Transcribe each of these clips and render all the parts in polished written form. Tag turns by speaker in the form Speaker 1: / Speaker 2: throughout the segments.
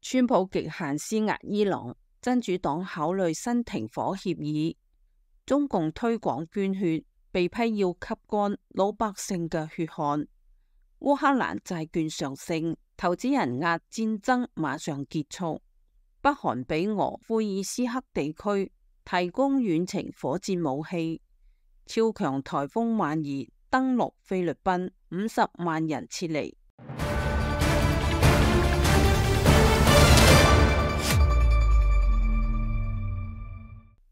Speaker 1: 川普極限施壓伊朗，真主黨考慮新停火協議。中共推廣捐血，被批要吸乾老百姓嘅血汗。烏克蘭債券上升，投資人壓戰爭馬上結束。北韓俾俄庫爾斯克地區提供遠程火箭武器。超強颱風萬兒登陸菲律賓，50萬人撤離。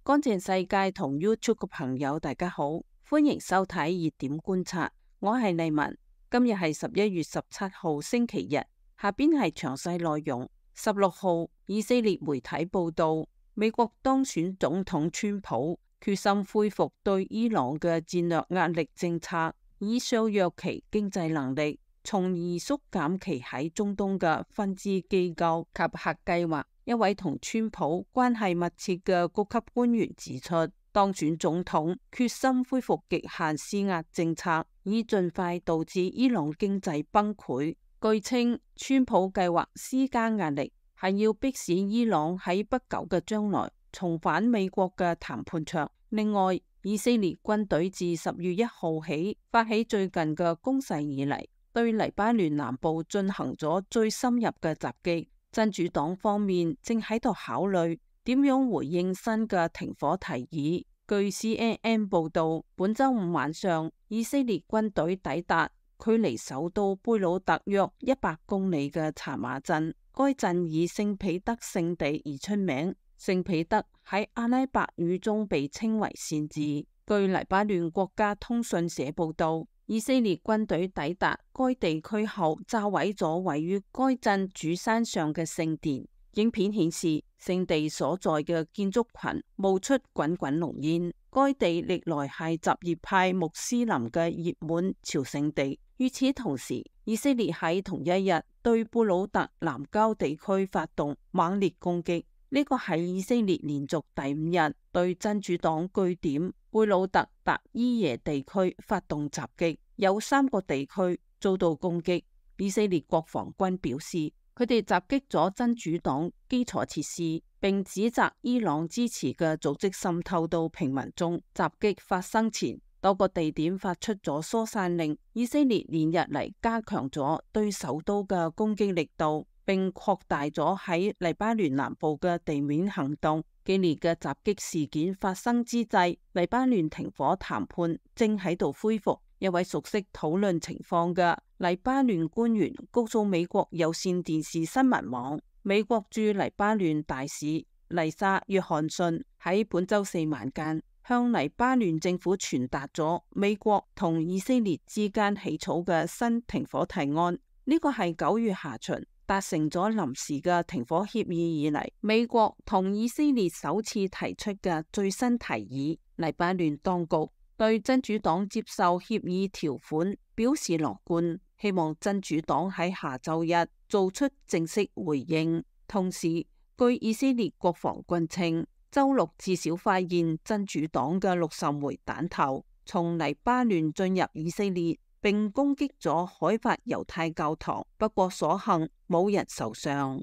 Speaker 1: 乾淨世界同 YouTube 嘅朋友大家好，歡迎收睇熱點觀察，我係麗文。今日係11月17號星期日，下邊係詳細內容。16號，以色列媒體報道，美國當選總統川普決心恢復對伊朗嘅戰略壓力政策，以削弱其經濟能力，從而縮減其喺中東嘅分支機構及核計劃。一位同川普關係密切嘅高級官員指出，當選總統決心恢復極限施壓政策，以盡快導致伊朗經濟崩潰。據稱，川普計劃施加壓力，係要迫使伊朗喺不久嘅將來重返美國嘅談判桌。另外，以色列軍隊自10月1號起發起最近嘅攻勢以嚟，對黎巴嫩南部進行咗最深入嘅襲擊。真主黨方面正喺度考慮點樣回應新嘅停火提議。據 CNN 報道，本周五晚上，以色列軍隊抵達距離首都貝魯特約100公里嘅查馬鎮。該鎮以聖彼得聖地而出名，聖彼得喺阿拉伯語中被稱為善治。據黎巴嫩國家通訊社報道，以色列軍隊抵達該地區後，炸毀咗位於該鎮主山上嘅聖殿。影片顯示，聖地所在嘅建築群冒出滾滾濃煙。該地歷來係什葉派穆斯林嘅熱門朝聖地。與此同時，以色列喺同一日對貝魯特南郊地區發動猛烈攻擊。呢個係以色列連續第5日對真主黨據點貝魯特達伊耶地區發動襲擊，有3個地區遭到攻擊。以色列國防軍表示，佢哋襲擊咗真主黨基礎設施，並指責伊朗支持嘅組織滲透到平民中。襲擊發生前，多個地點發出咗疏散令。以色列連日嚟加強咗對首都嘅攻擊力度，並擴大咗喺黎巴嫩南部嘅地面行動。激烈嘅襲擊事件發生之際，黎巴嫩停火談判正喺度恢復。一位熟悉討論情況嘅黎巴嫩官員告訴美國有線電視新聞網，美國駐黎巴嫩大使麗莎約翰遜喺本周4晚間向黎巴嫩政府傳達咗美國同以色列之間起草嘅新停火提案。呢個係9月下旬達成咗臨時嘅停火協議以嚟，美國同以色列首次提出嘅最新提議。黎巴嫩當局對真主黨接受協議條款表示樂觀，希望真主黨喺下周一做出正式回應。同時，據以色列國防軍稱，周六至少發現真主黨嘅60枚彈頭從黎巴嫩進入以色列，並攻擊咗海法猶太教堂，不過所幸冇人受傷。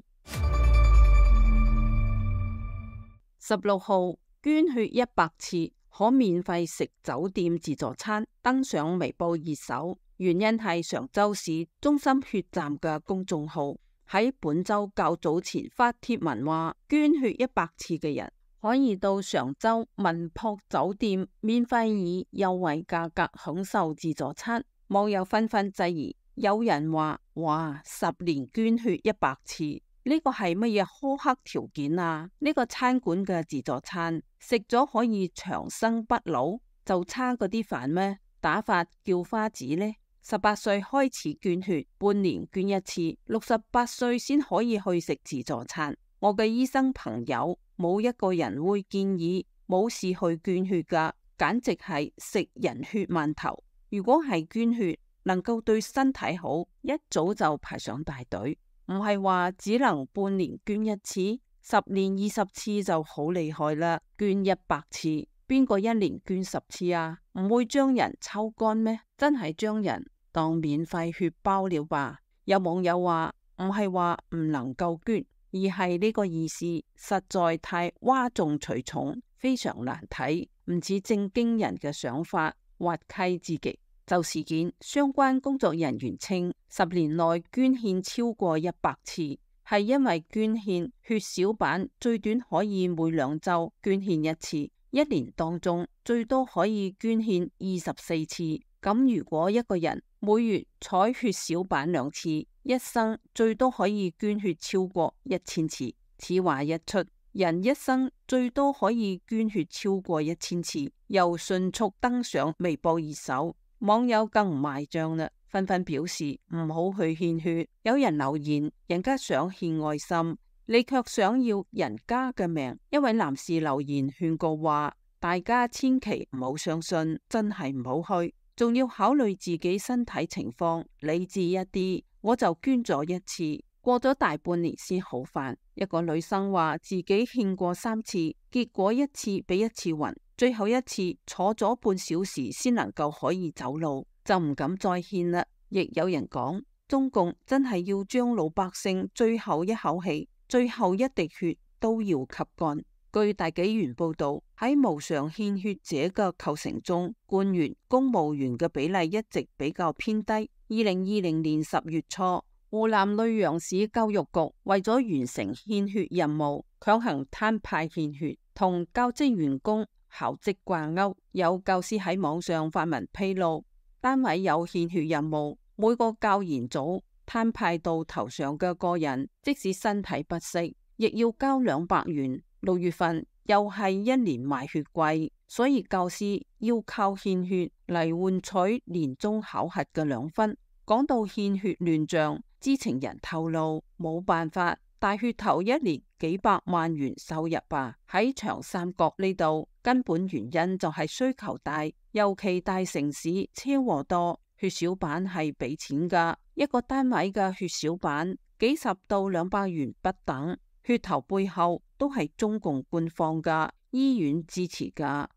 Speaker 1: 16號，捐血100次可免費食酒店自助餐，登上微博熱搜。原因係常州市中心血站嘅公眾號喺本周較早前發帖文話，捐血100次嘅人可以到常州文樸酒店免費以優惠價格享受自助餐。網友紛紛質疑，有人話：哇，10年捐血100次，呢個係乜嘢苛刻條件啊？呢個餐館嘅自助餐食咗可以長生不老，就差嗰啲飯咩？打發叫花子呢？18歲開始捐血，半年捐1次，68歲先可以去食自助餐。我嘅醫生朋友冇一個人會建議冇事去捐血噶，簡直係食人血饅頭。如果係捐血能夠對身體好，一早就排上大隊，唔係話只能半年捐1次，10年20次就好厲害啦。捐100次，邊個1年捐10次啊？唔會將人抽乾咩？真係將人當免費血包了吧？有網友話唔係話唔能夠捐，而係呢個意思實在太嘩眾取寵，非常難睇，唔似正經人嘅想法，滑稽至極。就事件，相關工作人員稱，10年內捐獻超過100次，係因為捐獻血小板最短可以每2週捐獻1次，一年當中最多可以捐獻24次。咁如果一個人每月採血小板2次，一生最多可以捐血超過1000次。此話一出，人一生最多可以捐血超過1000次，又迅速登上微博熱搜。網友更唔賣賬啦，紛紛表示唔好去獻血。有人留言，人家想獻愛心，你卻想要人家嘅命。一位男士留言勸告話，大家千祈唔好相信，真係唔好去，仲要考慮自己身體情況，理智一啲。我就捐咗1次，過咗大半年先好返。一個女生話自己獻過3次，結果1次比1次暈，最後1次坐咗半小時先能夠可以走路，就唔敢再獻啦。亦有人講，中共真係要將老百姓最後一口氣、最後一滴血都要吸乾。據大紀元報道，喺無償獻血者嘅構成中，官員、公務員嘅比例一直比較偏低。2020年10月初，湖南溧陽市教育局為咗完成獻血任務，強行攤派獻血，同教職員工校職掛鈎。有教師喺網上發文披露，單位有獻血任務，每個教研組攤派到頭上嘅個人，即使身體不適，亦要交200元。6月份又係一年賣血季，所以教師要靠獻血嚟換取年終考核嘅2分。講到獻血亂象，知情人透露，冇辦法，大血頭一年幾百萬元收入吧。喺長三角呢度，根本原因就係需求大，尤其大城市車禍多，血小板係俾錢噶，一個單位嘅血小板幾十到200元不等。血頭背後都係中共官方噶，醫院支持噶。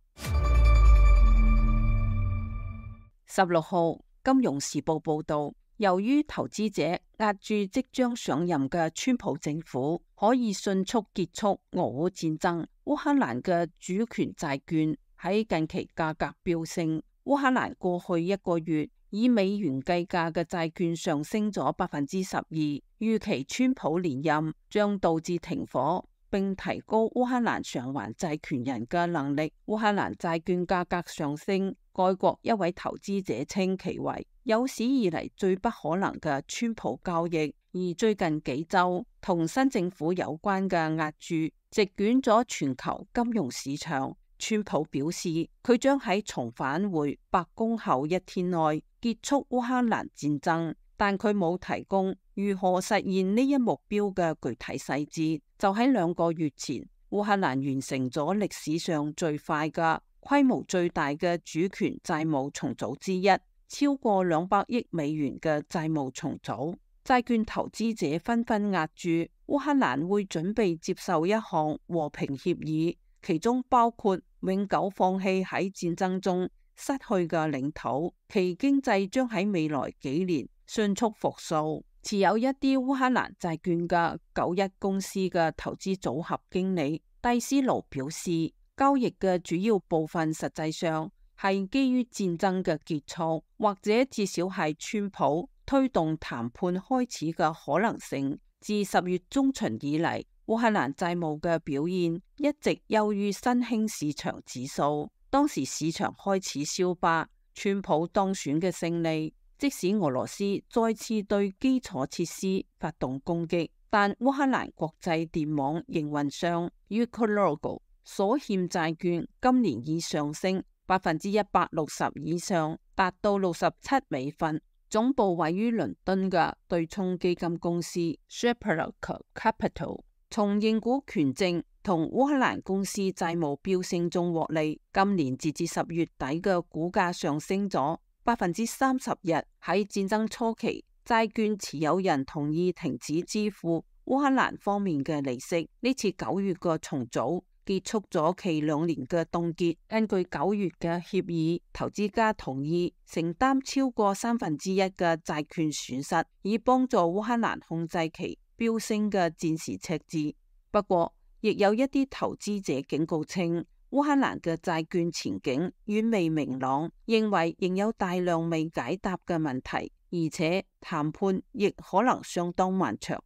Speaker 1: 16號，金融時報報道，由於投資者押注即將上任嘅川普政府可以迅速結束俄烏戰爭，烏克蘭嘅主權債券喺近期價格飆升。烏克蘭過去1個月以美元計價嘅債券上升咗12%，預期川普連任將導致停火，並提高烏克蘭償還債權人嘅能力。烏克蘭債券價格上升，該國一位投資者稱其為有史以嚟最不可能嘅川普交易。而最近幾週同新政府有關嘅押注席捲咗全球金融市場。川普表示，佢將喺重返回白宮後1天內結束烏克蘭戰爭，但佢冇提供如何實現呢一目標嘅具體細節。就喺2個月前，烏克蘭完成咗歷史上最快嘅、規模最大嘅主權債務重組之一，超過200億美元嘅債務重組。債券投資者紛紛押注烏克蘭會準備接受一項和平協議，其中包括永久放棄喺戰爭中失去嘅領土，其經濟將喺未來幾年迅速復甦。持有一啲烏克蘭債券嘅91公司嘅投資組合經理蒂斯盧表示，交易嘅主要部分實際上係基於戰爭嘅結束，或者至少係川普推動談判開始嘅可能性。自10月中旬以嚟，烏克蘭債務嘅表現一直優於新興市場指數。當時市場開始消化川普當選嘅勝利，即使俄羅斯再次對基礎設施發動攻擊，但烏克蘭國際電網營運商 Ukrenergo 所欠債券今年已上升160%以上，達到67美分。總部位於倫敦嘅對沖基金公司 Shepard Capital 從認股權證同烏克蘭公司債務飆升中獲利，今年截至10月底嘅股價上升咗30%。喺戰爭初期，債券持有人同意停止支付烏克蘭方面嘅利息。呢次9月嘅重組結束咗其2年嘅凍結。根據9月嘅協議，投資家同意承擔超過1/3嘅債券損失，以幫助烏克蘭控制其飆升嘅戰時赤字。不過，亦有一啲投資者警告稱，烏克蘭嘅債券前景遠未明朗，認為仍有大量未解答嘅問題，而且談判亦可能相當漫長。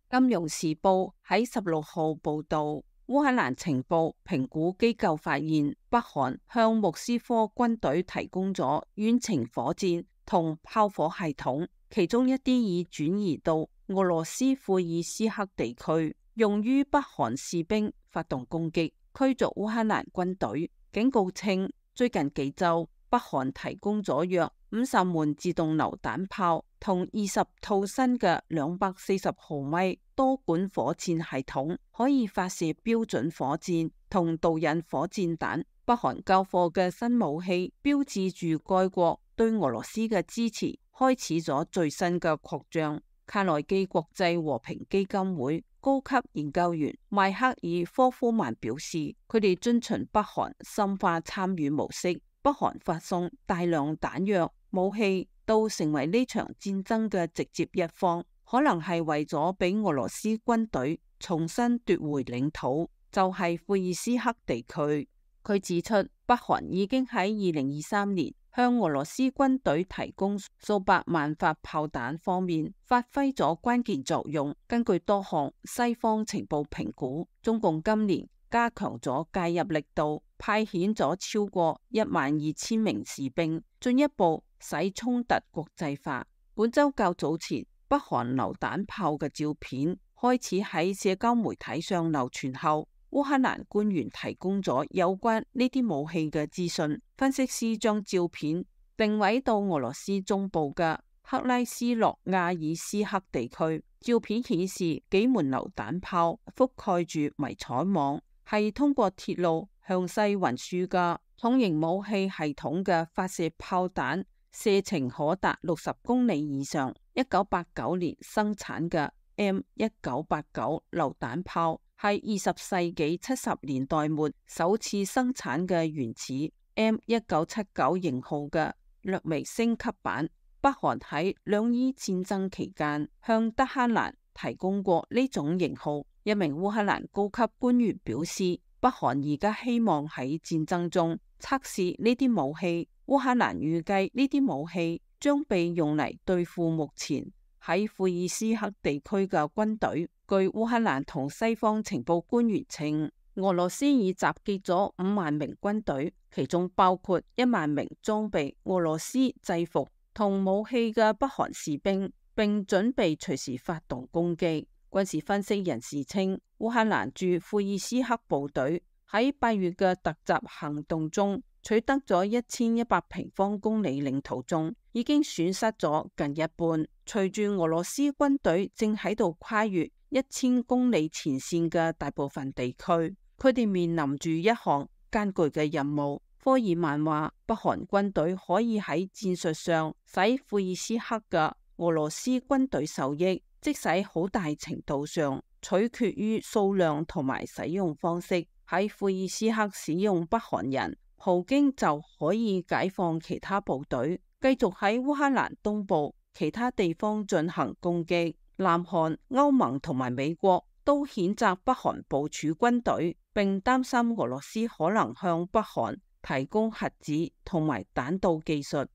Speaker 1: 金融時報喺16號報道，烏克蘭情報評估機構發現，北韓向莫斯科軍隊提供咗遠程火箭同炮火系統，其中一啲已轉移到俄羅斯庫爾斯克地區，用於北韓士兵發動攻擊，驅逐烏克蘭軍隊。警告稱，最近幾週，北韓提供咗約50門自動榴彈炮同20套新嘅240毫米多管火箭系統，可以發射標準火箭同導引火箭彈。北韓交貨嘅新武器，標誌住該國對俄羅斯嘅支持開始咗最新嘅擴張。卡內基國際和平基金會高級研究員邁克爾科夫曼表示，佢哋遵循北韓深化參與模式，北韓發送大量彈藥武器到成為呢場戰爭嘅直接一方，可能係為咗俾俄羅斯軍隊重新奪回領土，就係庫爾斯克地區。佢指出，北韓已經喺2023年向俄羅斯軍隊提供數百萬發炮彈方面發揮咗關鍵作用。根據多項西方情報評估，中共今年加強咗介入力度，派遣咗超過12000名士兵，進一步使衝突國際化。本週較早前，北韓榴彈炮嘅照片開始喺社交媒體上流傳後，烏克蘭官員提供咗有關呢啲武器嘅資訊。分析師將照片定位到俄羅斯中部嘅克拉斯諾亞爾斯克地區。照片顯示幾門榴彈炮覆蓋住迷彩網，係通過鐵路向西運輸嘅重型武器系統嘅發射炮彈，射程可達60公里以上。1989年生產嘅 M1989 榴彈炮係20世紀70年代末首次生產嘅原始 M1979 型號嘅略微升級版。北韓喺兩伊戰爭期間向德黑蘭提供過呢種型號。一名烏克蘭高級官員表示，北韓而家希望喺戰爭中測試呢啲武器。烏克蘭預計呢啲武器將被用嚟對付目前喺庫爾斯克地區嘅軍隊。據烏克蘭同西方情報官員稱，俄羅斯已集結咗5萬名軍隊，其中包括1萬名裝備俄羅斯制服同武器嘅北韓士兵，並準備隨時發動攻擊。軍事分析人士稱，烏克蘭駐庫爾斯克部隊喺8月嘅突襲行動中取得咗1100平方公里領土中，已經損失咗近一半。隨住俄羅斯軍隊正喺度跨越1000公里前線嘅大部分地區，佢哋面臨住一項艱巨嘅任務。科爾曼話，北韓軍隊可以喺戰術上使庫爾斯克嘅俄羅斯軍隊受益，即使好大程度上取決於數量同埋使用方式。喺庫爾斯克使用北韓人，普京就可以解放其他部隊，繼續喺烏克蘭東部其他地方進行攻擊。南韓、歐盟同埋美國都譴責北韓部署軍隊，並擔心俄羅斯可能向北韓提供核子同埋彈道技術。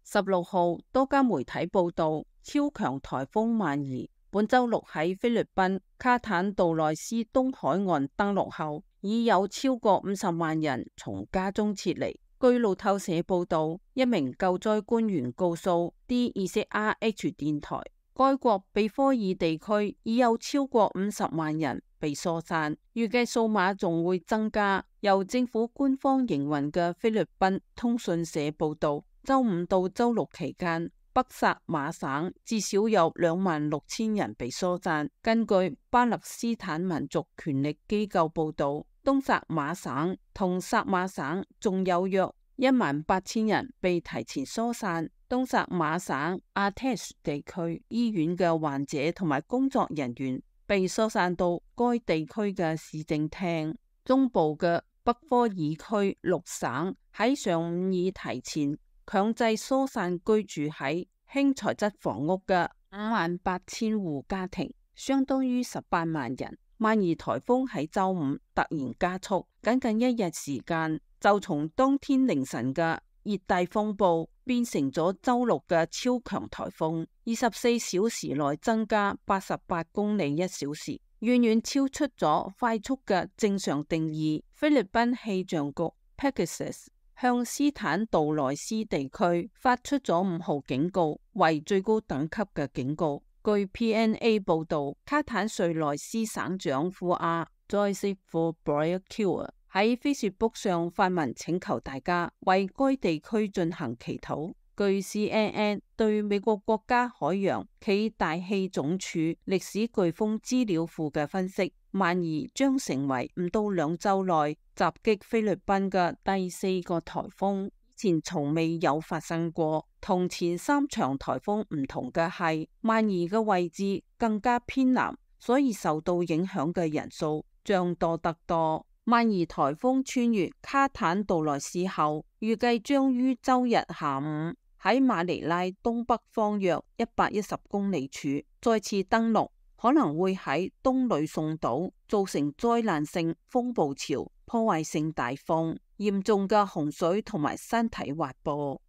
Speaker 1: 16號，多家媒體報道，超強颱風曼兒本週六喺菲律賓卡坦杜內斯東海岸登陸後，已有超過50萬人從家中撤離。據路透社報道，一名救災官員告訴 DZRH 電台，該國比科爾地區已有超過50萬人被疏散，預計數碼仲會增加。由政府官方營運嘅菲律賓通訊社報道，週5到週6期間，北薩馬省至少有26000人被疏散。根據巴勒斯坦民族權力機構報道，東薩馬省同薩馬省仲有約18000人被提前疏散。東薩馬省阿特什地區醫院嘅患者同埋工作人員被疏散到該地區嘅市政廳。中部嘅北科爾區6省喺上午已提前強制疏散居住喺輕材質房屋嘅58,000戶家庭，相當於18萬人。萬兒颱風喺週五突然加速，僅僅一日時間就從當天凌晨嘅熱帶風暴變成咗週六嘅超強颱風，24小時內增加88公里一小時，遠遠超出咗快速嘅正常定義。菲律賓氣象局 Pegasus 向斯坦杜萊斯地區發出咗5號警告，為最高等級嘅警告。據 PNA 報道，卡坦瑞萊斯省長庫阿 Joseph Boaquiu 喺 Facebook 上發文請求大家為該地區進行祈禱。據 CNN 對美國國家海洋暨大氣總署歷史颶風資料庫嘅分析，萬兒將成為唔到2週內襲擊菲律賓嘅第4個颱風，以前從未有發生過。同前3場颱風唔同嘅係，萬兒嘅位置更加偏南，所以受到影響嘅人數將多得多。萬兒颱風穿越卡坦杜萊斯後，預計將於週日下午喺馬尼拉東北方約110公里處再次登陸，可能會喺東呂宋島造成災難性風暴潮、破壞性大風、嚴重嘅洪水同埋山體滑坡。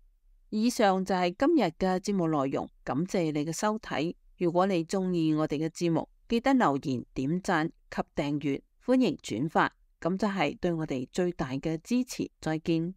Speaker 1: 以上就係今日嘅節目內容，感謝你嘅收睇。如果你中意我哋嘅節目，記得留言、點讚及訂閱，歡迎轉發，咁就係對我哋最大嘅支持。再見。